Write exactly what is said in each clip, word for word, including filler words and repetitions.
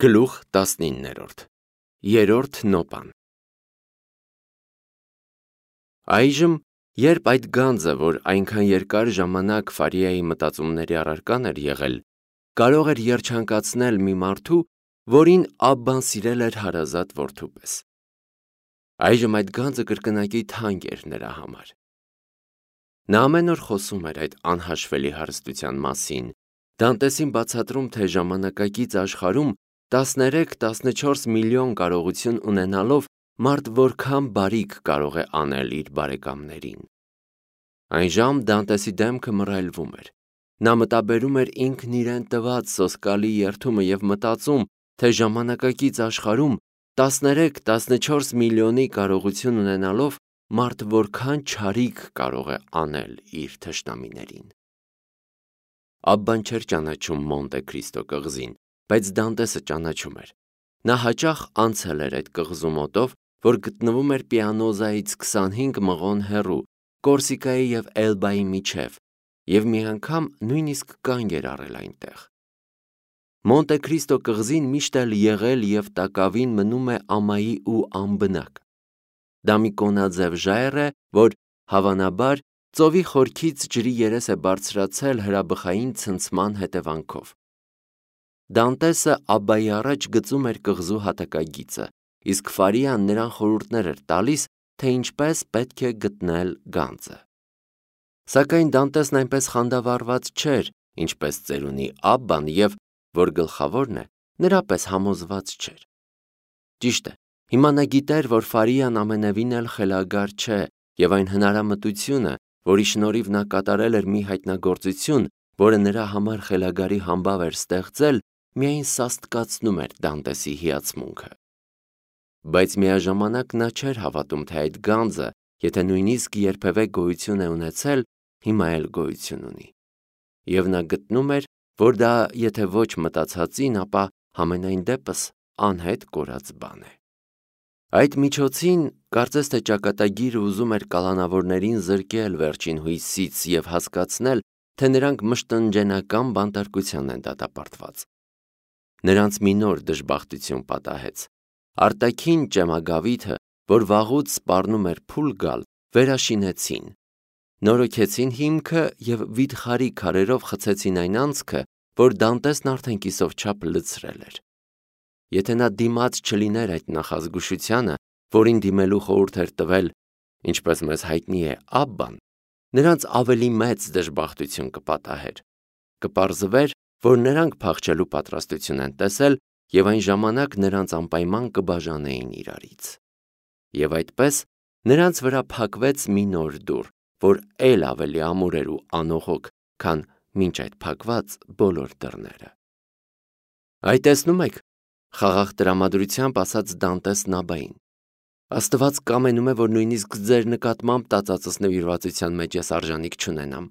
Գլուխ տասնիններորդ Երրորդ նոպան Այժմ, երբ այդ գանձը, որ այնքան երկար ժամանակ Ֆարիայի մտածումների առարկան էր եղել, կարող էր երջանկացնել մի մարդու, որին Աբբան սիրել էր հարազատ որդու պես։ Այժմ այդ գանձը կրկնակի թանկ էր նրա համար։ Նա ամեն օր խոսում էր այդ անհաշվելի հարստության մասին, Դանտեսին բացատրում, թե ժամանակակից աշխարհում տասներեք տասնչորս միլիոն կարողություն ունենալով մարդ որքան բարիք կարող է անել իր բարեկամներին։ Այն ժամ Դանտեսի դեմքը մռայլվում էր։ Նա մտաբերում էր ինքն իրեն տված սոսկալի երդումը և մտածում, թե ժամանակակից աշխարհում տասներեք տասնչորս միլիոնի կարողություն ունենալով մարդ որքան չարիք կարող է անել իր թշնամիներին։ Աբբան չէր ճանաչում Մոնտե Քրիստո կղզին, բայց Դանտեսը ճանաչում էր։ Նա հաճախ անցել էր այդ կղզու մոտով, որ գտնվում էր Պիանոզայից քսանհինգ մղոն հեռու, Կորսիկայի և Էլբայի միջև, և մի անգամ նույնիսկ կանգ էր առել այնտեղ։ Մոնտե Քրիստո կղզին միշտ էլ եղել և տակավին մնում է ամայի ու անբնակ։ Դա մի կոնաձև ժայռ է, որ, հավանաբար, ծովի խորքից ջրի երես է բարձրացել հրաբխային ցնցման հետևանքով։ Դանտեսը Աբբայի առաջ գծում էր կղզու հատակագիծը, իսկ Ֆարիան նրան խորհուրդներ էր տալիս, թե ինչպես պետք է գտնել գանձը։ Սակայն Դանտեսն այնպես խանդավառված չէր, ինչպես ծերունի Աբբան և, որ գլխավորն է, նրա պես համոզված չէր։ Ճիշտ է, հիմա նա գիտեր, որ Ֆարիան ամենևին էլ խելագար չէ, և այն հնարամտությունը, որի շնորհիվ նա կատարել էր մի հայտնագործություն, որը նրա համար խելագարի համբավ էր ստեղծել, միայն սաստկացնում էր Դանտեսի հիացմունքը։ Բայց միաժամանակ նա չէր հավատում, թե այդ գանձը, եթե նույնիսկ երբևէ գոյություն է ունեցել, հիմա էլ գոյություն ունի։ Եվ նա գտնում էր, որ դա եթե ոչ մտածածին, ապա համենայն դեպս անհետ կորած բան է։ Այդ միջոցին, կարծես թե ճակատագիրը ուզում էր կալանավորներին զրկել վերջին հույսից և հասկացնել, թե նրանք մշտնջենական բանտարկության են դատապարտված։ Նրանց մի նոր դժբախտություն պատահեց։ Արտաքին ճեմագավիթը, որ վաղուց սպառնում էր փուլ գալ, վերաշինեցին։ Նորոգեցին հիմքը և վիթխարի քարերով խցեցին այն անցքը, որ Դանտեսն արդեն կիսով չափ լցրել էր։ Եթե նա դիմաց չլիներ այդ նախազգուշությանը, որին դիմելու խորհուրդ էր տվել, ինչպես մեզ հայտնի է, Աբբան, նրանց ավելի մեծ դժբախտություն կպատահեր։ Կպարզվեր, որ նրանք փախչելու պատրաստություն են տեսել և այն ժամանակ նրանց անպայման կբաժանեին իրարից։ Եվ այդպես նրանց վրա փակվեց մի նոր դուռ, որ էլ ավելի ամուր էր ու անողոք, քան մինչ այդ փակված բոլոր դռները։ Այ տեսնում եք, խաղաղ տրամադրությամբ ասաց Դանտեսն Աբբային, Աստված կամենում է, որ նույնիսկ ձեր նկատմամբ տածածս նվիրվածության մեջ ես արժանիք չունենամ։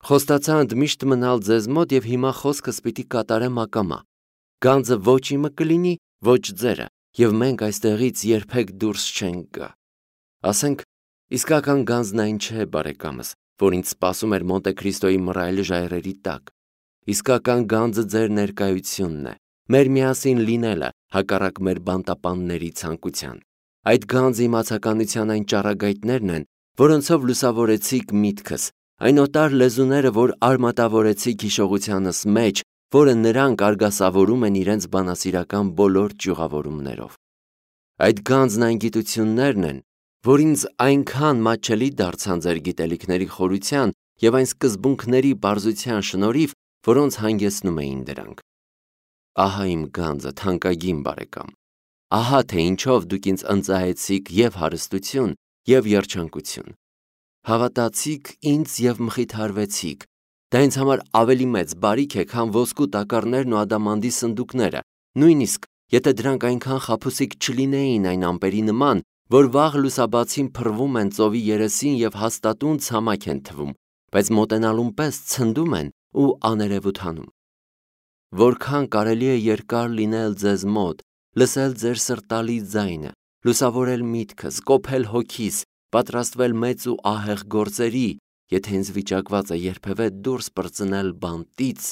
Խոստացա ընդմիշտ մնալ ձեզ մոտ և հիմա խոսքս պիտի կատարեմ ակամա։ Գանձը ոչ իմը կլինի, ոչ ձերը, և մենք այստեղից երբեք դուրս չենք գա։ Ասենք, իսկական գանձն այն չէ, բարեկամս, որ ինձ սպասում էր Մոնտե Քրիստոյի մռայլ ժայռերի տակ։ Իսկական գանձը ձեր ներկայությունն է, մեր միասին լինելը, հակառակ մեր բանտապանների ցանկության։ Այդ գանձը իմացականության այն ճառագայթներն են, որոնցով լուսավորեցիք միտքս, այն օտար լեզուները, որ արմատավորեցիք հիշողությանս մեջ, որը նրանք արգասավորում են իրենց բանասիրական բոլոր ճյուղավորումներով։ Այդ գանձն այն գիտություններն են, որ ինձ այնքան մատչելի դարձան ձեր գիտելիքների խորության և այն սկզբունքների պարզության շնորհիվ, որոնց հանգեցնում էին դրանք։ Ահա իմ գանձը, թանկագին բարեկամ։ Ահա թե ինչով դուք ինձ ընծայեցիք և հարստություն, և երջանկություն։ Հավատացիք ինձ և մխիթարվեցիք։ Դա ինձ համար ավելի մեծ բարիք է, քան ոսկու տակառներն ու ադամանդի սնդուկները, նույնիսկ եթե դրանք այնքան խաբուսիկ չլինեին այն ամպերի նման, որ վաղ լուսաբացին փռվում են ծովի երեսին և հաստատուն ցամաք են թվում, բայց մոտենալուն պես ցնդում են ու աներևութ հանում։ Որքան կարելի է երկար լինել ձեզ մոտ, լսել ձեր սրտալի ձայնը, լուսավորել միտքս, կոփել հոգիս, պատրաստվել մեծ ու ահեղ գործերի, եթե ինձ վիճակված է երբևէ դուրս պրծնել բանտից,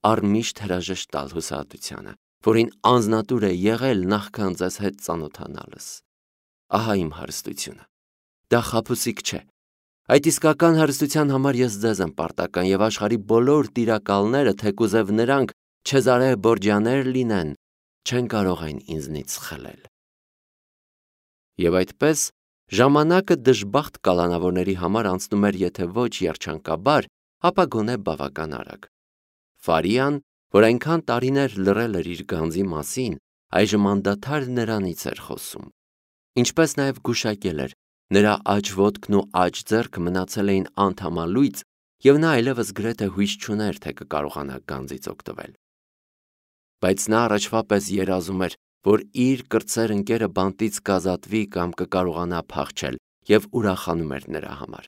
առմիշտ հրաժեշտ տալ հուսահատությանը, որին անձնատուր է եղել նախքան ձեզ հետ ծանոթանալս։ Ահա իմ հարստությունը։ Դա խաբուսիկ չէ։ Այդ իսկական հարստության համար ես ձեզ եմ պարտական եւ աշխարհի բոլոր տիրակալները, թեկուզև նրանք Չեզարե Բորջաներ լինեն, չեն կարող այն ինձնից խլել։ Եվ այդպես ժամանակը դժբախտ կալանավորների համար անցնում էր եթե ոչ երջանկաբար, ապա գոնե բավական արագ։ Ֆարիան, որ այնքան տարիներ լռել էր իր գանձի մասին, այժմ անդադար նրանից էր խոսում։ Ինչպես նաև գուշակել էր, նրա աջ ոտքն ու աջ ձեռքը մնացել էին անթամալույծ, եւ նա այլևս գրեթե հույս չուներ, թե կկարողանա գանձից օգտվել։ Բայց նա առաջվա պես երազում էր, որ իր կրտսեր ընկերը բանտից կազատվի կամ կկարողանա փախչել, եւ ուրախանում էր նրա համար։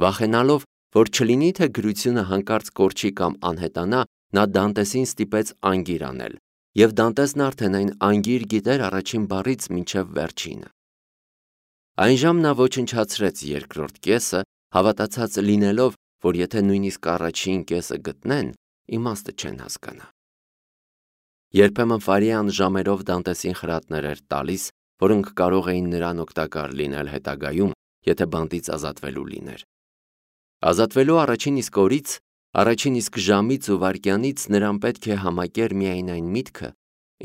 Վախենալով, որ չլինի թե գրությունը հանկարծ կորչի կամ անհետանա, նա Դանտեսին ստիպեց անգիր անել, եւ Դանտեսն արդեն այն անգիր գիտեր առաջին բառից մինչև վերջինը։ Այն ժամ նա ոչնչացրեց երկրորդ կեսը, հավատացած լինելով, որ եթե նույնիսկ առաջին կեսը գտնեն, իմաստը չեն հասկանա։ Երբեմն Ֆարիան ժամերով Դանտեսին խրատներ էր տալիս, որոնք կարող էին նրան օգտակար լինել հետագայում, եթե բանտից ազատվելու լիներ։ Ազատվելու առաջին իսկ օրից, առաջին իսկ ժամից ու վայրկյանից նրան պետք է համակեր միայն այն միտքը,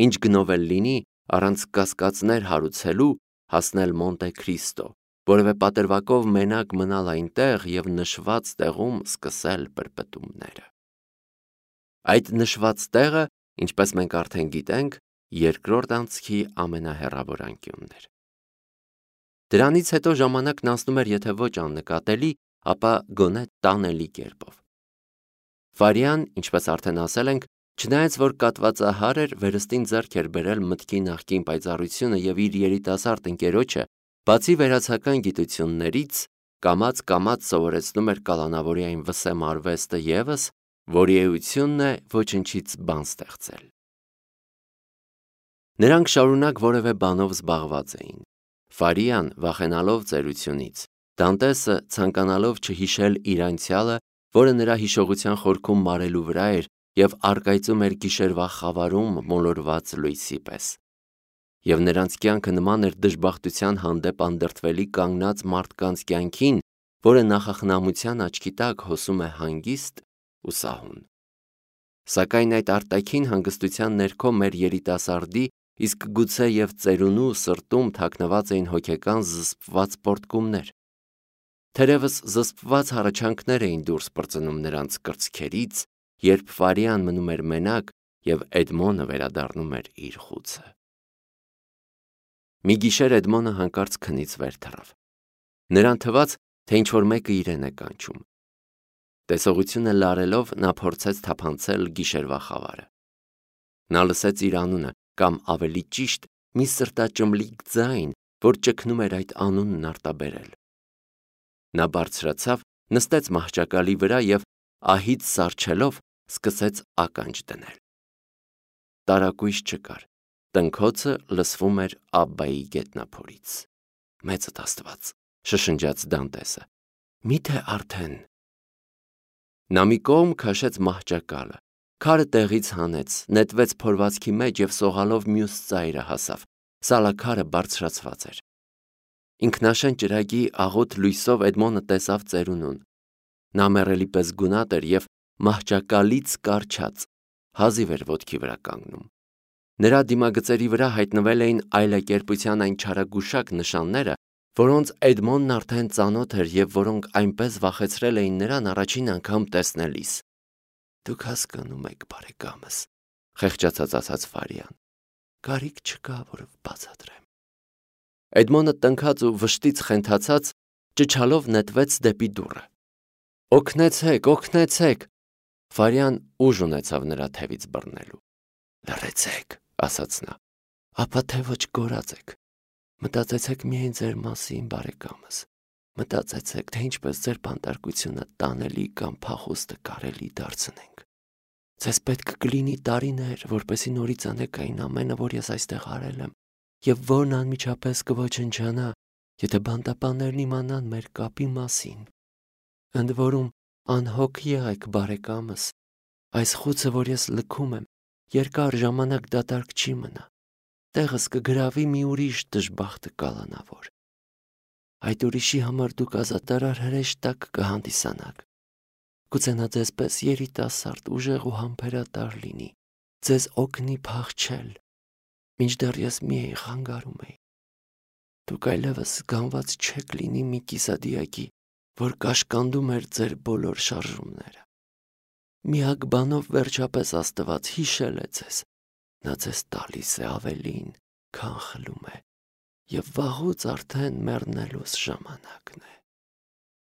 ինչ գնով էլ լինի, առանց կասկածներ հարուցելու, հասնել Մոնտե Քրիստո, որևէ պատրվակով մենակ մնալ այնտեղ եւ նշված տեղում սկսել պրպտումները։ Այդ նշված տեղը, ինչպես մենք արդեն գիտենք, երկրորդ անցքի ամենահեռավոր անկյունն էր։ Դրանից հետո ժամանակն անցնում էր եթե ոչ աննկատելի, ապա գոնե տանելի կերպով։ Ֆարիան, ինչպես արդեն ասել ենք, չնայած որ կատվածահար էր, վերստին ձեռք էր բերել մտքի նախկին պայծառությունը եւ իր երիտասարդ ընկերոջը, բացի վերացական գիտություններից, կամաց-կամաց սովորեցնում էր կալանավորի այն վսեմ արվեստը եւս, որի էությունն է ոչնչից բան ստեղծել։ Նրանք շարունակ որևէ բանով զբաղված էին։ Ֆարիան վախենալով ծերությունից, Դանտեսը ցանկանալով չհիշել իր անցյալը, որը նրա հիշողության խորքում մարելու վրա էր եւ առկայծում էր գիշերվա խավարում մոլորված լույսի պես։ Եվ նրանց կյանքը նման էր դժբախտության հանդեպ անդրդվելի կանգնած մարդկանց կյանքին, որը նախախնամության աչքի տակ հոսում է հանգիստ ու սահուն։ Սակայն այդ արտաքին հանգստության ներքո մեր երիտասարդի, իսկ գուցե եւ ծերունու սրտում թաքնված էին հոգեկան զսպված պոռթկումներ։ Թերևս զսպված հառաչանքներ էին դուրս պրծնում նրանց կրծքերից, երբ Ֆարիան մնում էր մենակ եւ Էդմոնը վերադառնում էր իր խուցը։ Մի գիշեր Էդմոնը հանկարծ քնից վեր թռավ։ Նրան թվաց, թե ինչ-որ մեկը իրեն է կանչում։ Տեսողությունը լարելով նա փորձեց թափանցել գիշերվա խավարը։ Նա լսեց իր անունը, կամ ավելի ճիշտ, մի սրտաճմլիկ ձայն, որ ճգնում էր այդ անունն արտաբերել։ Նա բարձրացավ, նստեց մահճակալի վրա եւ ահից սառչելով սկսեց ականջ դնել։ Տարակույս չկար։ Տնքոցը լսվում էր Աբբայի գետնափորից։ Մեծդ Աստված, շշնջաց Դանտեսը։ Միթե արդեն։ Նա մի կողմ քաշեց մահճակալը, քարը տեղից հանեց, նետվեց փորվածքի մեջ եւ սողալով մյուս ծայրը հասավ։ Սալաքարը բարձրացված էր։ Ինքնաշեն ճրագի աղոտ լույսով Էդմոնը տեսավ ծերունուն։ Նա մեռելի պես գունատ էր եւ մահճակալից կարճած, հազիվ էր ոտքի վրա կանգնում։ Նրա դիմագծերի վրա հայտնվել էին այլակերպության այն չարագուշակ նշանները, որոնց Էդմոնն արդեն ծանոթ էր եւ որոնք այնպես վախեցրել էին նրան առաջին անգամ տեսնելիս։ Դուք հասկանում եք, բարեկամս, խեղճացած ասաց Ֆարիան։ Կարիք չկա, որ բացատրեմ։ Էդմոնը տնքած ու վշտից խենթացած ճչալով նետվեց դեպի դուռը։ Օգնեցեք, օգնեցեք։ Ֆարիան ուժ ունեցավ նրա թևից բռնելու։ Լռեցեք, ասաց նա։ Ապա թե ոչ գորած եք։ Մտածեցեք միայն ձեր մասին, բարեկամս։ Մտածեցեք, թե ինչպես ձեր բանտարկությունը տանելի կամ փախուստը կարելի դարձնենք։ Ձեզ պետք կլինի տարիներ, որպեսզի նորից անեք այն ամենը, որ ես այստեղ արել եմ, եւ որն անմիջապես կոչնչանա, եթե բանտապաններն իմանան մեր կապի մասին։ Ընդ որում, անհոգ եղեք, բարեկամս, այս խուցը, որ ես լքում եմ, երկար ժամանակ դատարկ չի մնա, տեղս կգրավի մի ուրիշ դժբախտը կալանավոր։ Այդ ուրիշի համար դուք ազատարար հրեշ տակ կհանդիսանաք, գուցե նա ձեզ պես երիտասարդ, ուժեղ ու համբերատար լինի, ձեզ օգնի փախչել, մինչդեռ ես մի էի խանգարում էի։ Դուք այլևս գանված չեք լինի մի կիսադիակի, որ կաշկանդում էր ձեր բոլոր շարժումները։ Միակ բանով վերջապես Աստված հիշել է ձեզ, նա ձեզ տալիս է ավելին, քան խլում է, և վաղուց արդեն մեռնելուս ժամանակն է։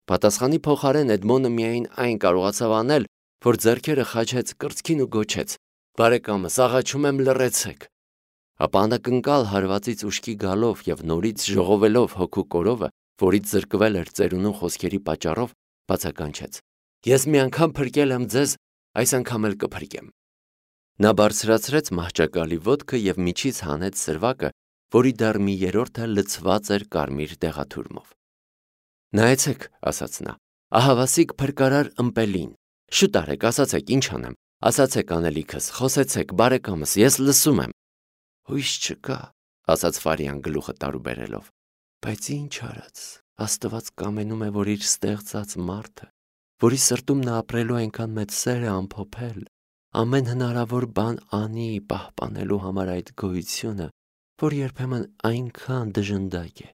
Պատասխանի փոխարեն Էդմոնը միայն այն կարողացավ անել, որ ձեռքերը խաչեց կրծքին ու գոչեց. «Բարեկամս, աղաչում եմ, լռեցեք»։ Ապա անակնկալ հարվածից ուշքի գալով և նորից ժողովելով հոգու կորովը, որից զրկվել էր ծերունու խոսքերի պատճառով, բացականչեց. «Ես մի անգամ փրկել եմ ձեզ, այս անգամ էլ կփրկեմ»։ Նա բարձրացրեց մահճակալի ոտքը և միջից հանեց սրվակը, որի դեռ մի երրորդը լցված էր կարմիր դեղաթուրմով։ «Նայեցեք», ասաց նա, «ահավասիկ փրկարար ըմպելին, շուտ արեք, ասացեք, ինչ անեմ, ասացեք անելիքս, խոսեցեք, բարեկամս, ես լսում եմ»։ «Հույս չկա», ասաց Ֆարիան գլուխը տարուբերելով, «բայց ինչ արած, Աստված կամենում է, որ իր ստեղծած մարդը, որի սրտում նա ապրելու այնքան մեծ սեր է ամփոփել, ամեն հնարավոր բան անի պահպանելու համար այդ գոյությունը, որ երբեմն այնքան դժնդակ է,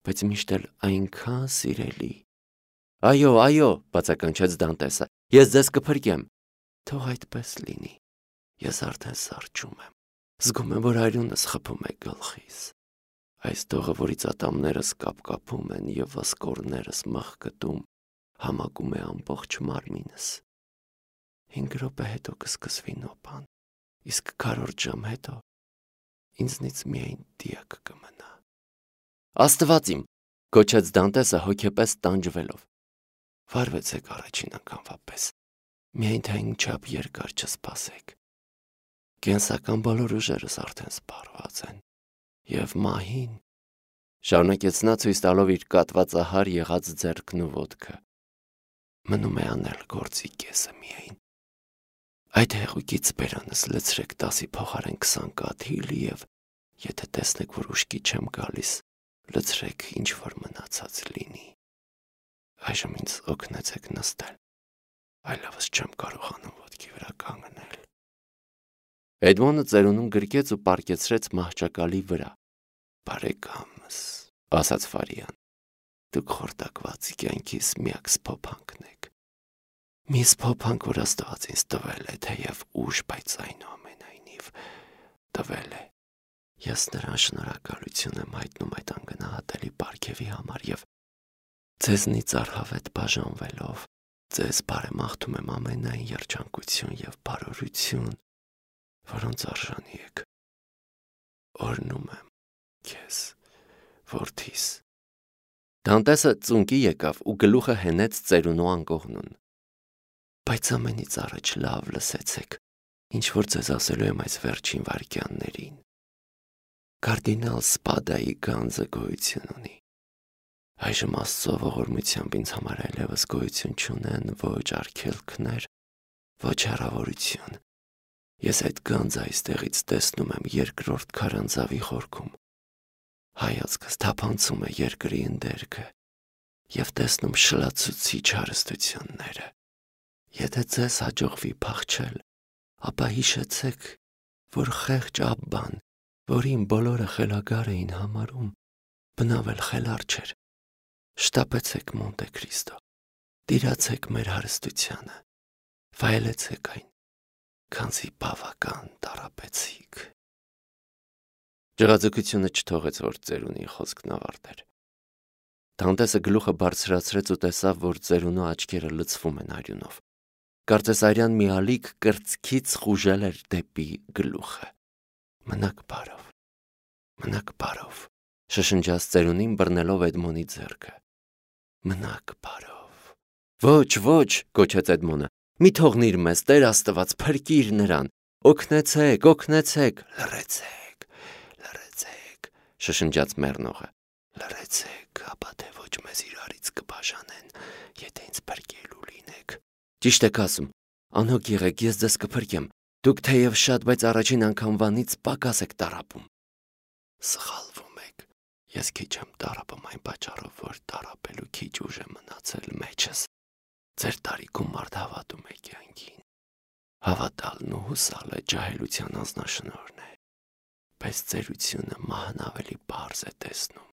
բայց միշտ էլ այնքան սիրելի»։ «Այո, այո», բացականչեց Դանտեսը, «ես ձեզ կփրկեմ»։ «Թող այդպես լինի, ես արդեն սառչում եմ, զգում եմ, որ արյունս խփում է գլխիս, այս տողը, որից ատամներս կապկապում են և ոսկորներս մղկտում, համակում է ամբողջ մարմինս։ Հինգ րոպե հետո կսկսվի նոպան, իսկ քառորդ ժամ հետո ինձնից միայն դիակ կմնա»։ «Աստված իմ», գոչեց Դանտեսը հոգեպես տանջվելով, «վարվեցեք առաջին անգամվա պես, միայն թե այնչափ երկար չսպասեք։ Կենսական բոլոր ուժերս արդեն սպառված են, և մահին», շարունակեց նա ցույց տալով իր կատվածահար եղած ձեռքն ու ոտքը, «մնում է անել գործի կեսը միայն։ Այդ հեղուկից բերանս լցրեք տասի փոխարեն քսան կաթիլ և, եթե տեսնեք, որ ուշքի չեմ գալիս, լցրեք ինչ որ մնացած լինի։ Այժմ ինձ օգնեցեք նստել, այլևս չեմ կարողանում ոտքի վրա կանգնել»։ Էդմոնը ծերունուն գրկեց ու պառկեցրեց մահճակալի վրա։ «Բարեկամս», ասաց Ֆարիան, «դուք խորտակված կյանքիս միակ սփոփանքն եք, մի սփոփանք, որ Աստված ինձ տվել է, թեև ուշ, բայց այնուամենայնիվ տվել է։ Ես նրան շնորհակալություն եմ հայտնում այդ անգնահատելի պարգևի համար և ձեզնից առհավետ բաժանվելով ձեզ բարեմաղթում եմ ամենայն երջանկություն և բարօրություն, որոնց արժանի եք։ Օրհնում եմ քեզ, որդիս»։ Դանտեսը ծունկի եկավ ու գլուխը հենեց ծերունու անկողնուն։ «Բայց ամենից առաջ լավ լսեցեք, ինչ որ ձեզ ասելու եմ այս վերջին վայրկյաններին։ Կարդինալ Սպադայի գանձը գոյություն ունի։ Այժմ Աստծո ողորմությամբ ինձ համար այլևս գոյություն չունեն ոչ արգելքներ, ոչ հեռավորություն։ Ես այդ գանձը այստեղից տեսնում եմ երկրորդ քարանձավի խորքում։ Հայացքս թափանցում է երկրի ընդերքը և տեսնում շլացուցիչ հարստությունները։ Եթե ձեզ հաջողվի փախչել, ապա հիշեցեք, որ խեղճ Աբբան, որին բոլորը խելագար էին համարում, բնավ էլ խելառ չէր։ Շտապեցեք Մոնտե Քրիստո, տիրացեք մեր հարստությանը, վայելեցեք այն, քանզի բավական տառապեցիք»։ Ջղաձգությունը չթողեց, որ ծերունի խոսքն ավարտեր։ Դանտեսը գլուխը բարձրացրեց ու տեսավ, որ ծերունու աչքերը լցվում են արյունով։ Կարծես արյան մի ալիք կրծքից խուժել էր դեպի գլուխը։ «Մնաք բարով, մնաք բարով», շշնջաց ծերունին բռնելով Էդմոնի ձեռքը։ «Մնաք բարով»։ «Ոչ, ոչ», գոչեց Էդմոնը, «մի թողնիր մեզ, Տեր Աստված, փրկիր նրան, օգնեցեք, օգնեցեք»։ «Լռեցեք, լռեցեք», շշնջաց մեռնողը, «լռեցեք, ապա թե ոչ մեզ իրարից կբաժանեն, եթե ինձ փրկելու լինեք»։ «Ճիշտ եք ասում, անհոգ եղեք, ես ձեզ կփրկեմ, Դուք թեև շատ, բայց առաջին անգամվանից պակաս եք տառապում։ Սխալվում եք։ Ես քիչ եմ տառապում այն պատճառով, որ տառապելու քիչ ուժ է մնացել մեջս։ Ձեր տարիքում մարդ հավատում է կյանքին։ Հավատալն ու հուսալը ջահելության անձնաշնորհն է, բայց ծերությունը մահն ավելի պարզ է տեսնում։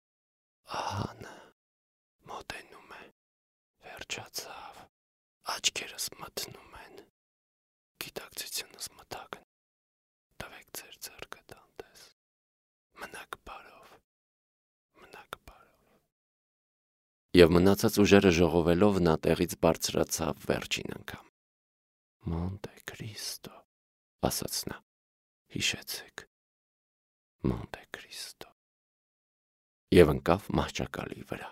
Ահանը մոտենում է, վերջացավ, աչքերս մթնում են, գիտակցությունս մթագն, տվեք ձեր ձեռքը տանտես, մնաք բարով, մնաք բարով։ Եվ մնացած ուժերը ժողովելով նա տեղից բարձրացավ վերջին անգամ։ Մոնտե Քրիստո, ասաց նա, հիշեցեք, Մոնտե Քրիստո, և ընկավ մահճակալի վրա։